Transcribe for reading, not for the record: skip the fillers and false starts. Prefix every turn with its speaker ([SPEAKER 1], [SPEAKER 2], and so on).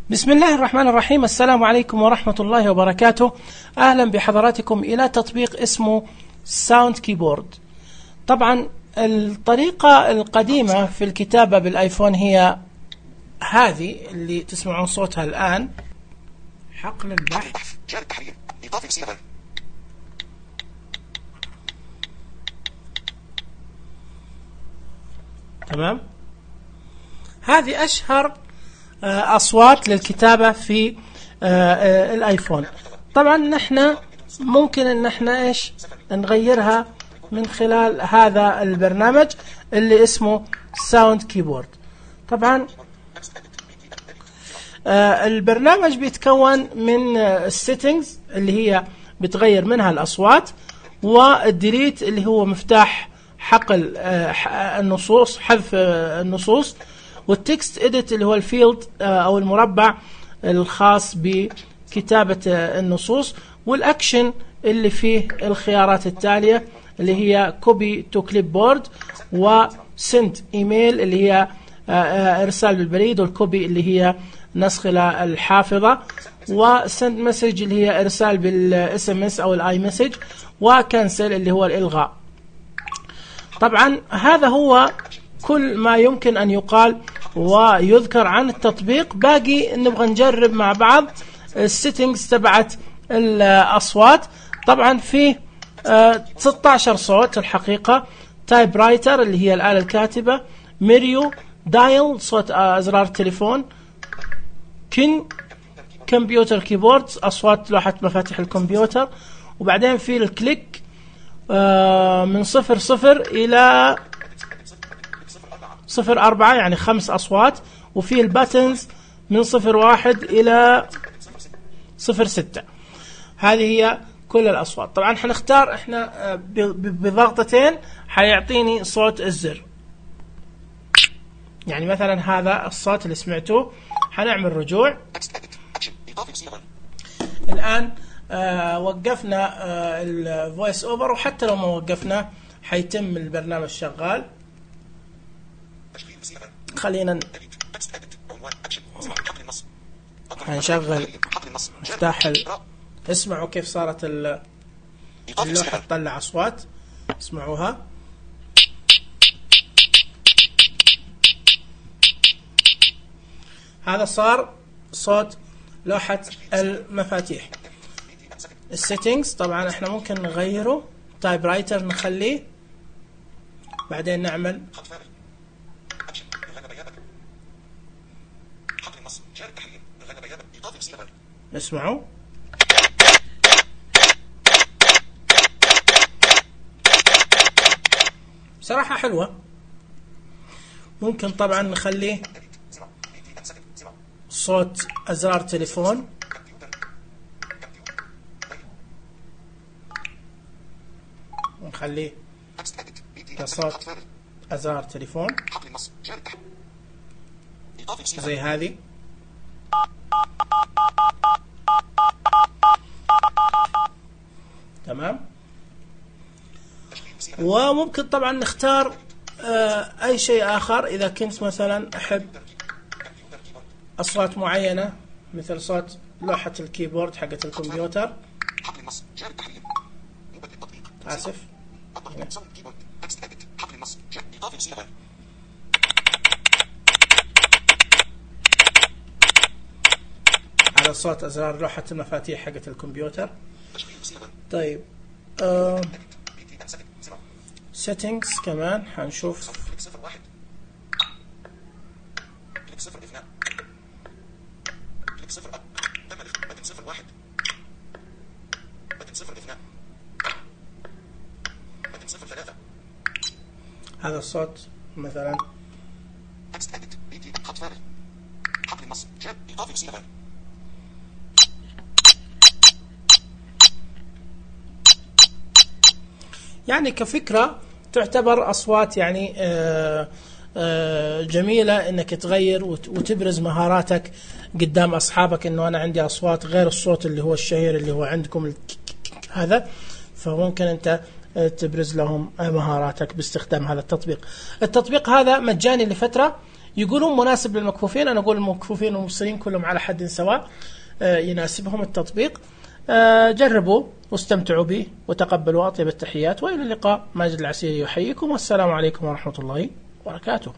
[SPEAKER 1] بسم الله الرحمن الرحيم. السلام عليكم ورحمة الله وبركاته. أهلا بحضراتكم إلى تطبيق اسمه ساوند كيبورد. طبعا الطريقة القديمة في الكتابة بالآيفون هي هذه اللي تسمعون صوتها الآن، حقل البحث، تمام. هذه أشهر أصوات للكتابة في الآيفون. طبعا نحن ممكن ان احنا نغيرها من خلال هذا البرنامج اللي اسمه ساوند كيبورد. طبعا البرنامج بيتكون من السيتنجز اللي هي بتغير منها الأصوات، والديليت اللي هو مفتاح حقل النصوص، حذف النصوص، والتكست إديت اللي هو الفيلد أو المربع الخاص بكتابة النصوص، والأكشن اللي فيه الخيارات التالية اللي هي كوبي تو كليب بورد، وسند إيميل اللي هي إرسال بالبريد، والكوبي اللي هي نسخ إلى الحافظة، وسند مسج اللي هي إرسال بالاس ام اس أو الاي مسج، وكنسل اللي هو الإلغاء. طبعا هذا هو كل ما يمكن أن يقال ويذكر عن التطبيق. باقي نبغى نجرب مع بعض السيتنجز تبعت الأصوات. طبعا في 16 صوت الحقيقة: تايب رايتر اللي هي الآلة الكاتبة، ميريو، دايل صوت أزرار التليفون، كمبيوتر كيبورد أصوات لوحة مفاتيح الكمبيوتر، وبعدين في الكليك من 00 إلى 04 يعني 5 أصوات، وفي الباتنز من 01 إلى 06. هذه هي كل الأصوات. طبعا حنختار احنا بضغطتين حيعطيني صوت الزر. يعني مثلا هذا الصوت اللي سمعتوه، حنعمل رجوع. الآن وقفنا الفويس اوفر، وحتى لو ما وقفنا حيتم البرنامج شغال. خلينا هنشغل مفتاح اسمعوا كيف صارت اللوحة تطلع أصوات، اسمعوها. هذا صار صوت لوحة المفاتيح. السيتنجز طبعا احنا ممكن نغيره، تايب رايتر نخليه، بعدين نعمل اسمعوا. بصراحة حلوة. ممكن طبعا نخليه صوت أزرار تليفون، ونخليه كصوت أزرار تليفون زي هذه. تمام. وممكن طبعا نختار أي شيء آخر. إذا كنت مثلا أحب أصوات معينة مثل صوت لوحة الكيبورد حقت الكمبيوتر، آسف، على صوت أزرار لوحة المفاتيح حقت الكمبيوتر. طيب settings كمان حنشوف. هذا الصوت مثلا يعني كفكرة تعتبر أصوات يعني جميلة إنك تغير وتبرز مهاراتك قدام أصحابك، إنه أنا عندي أصوات غير الصوت اللي هو الشهير اللي هو عندكم هذا، فممكن أنت تبرز لهم مهاراتك باستخدام هذا التطبيق. التطبيق هذا مجاني لفترة، يقولون مناسب للمكفوفين، أنا أقول المكفوفين والمبصرين كلهم على حد سواء يناسبهم التطبيق. جربوا واستمتعوا به وتقبلوا أطيب التحيات، وإلى اللقاء. ماجد العسيري يحييكم، والسلام عليكم ورحمة الله وبركاته.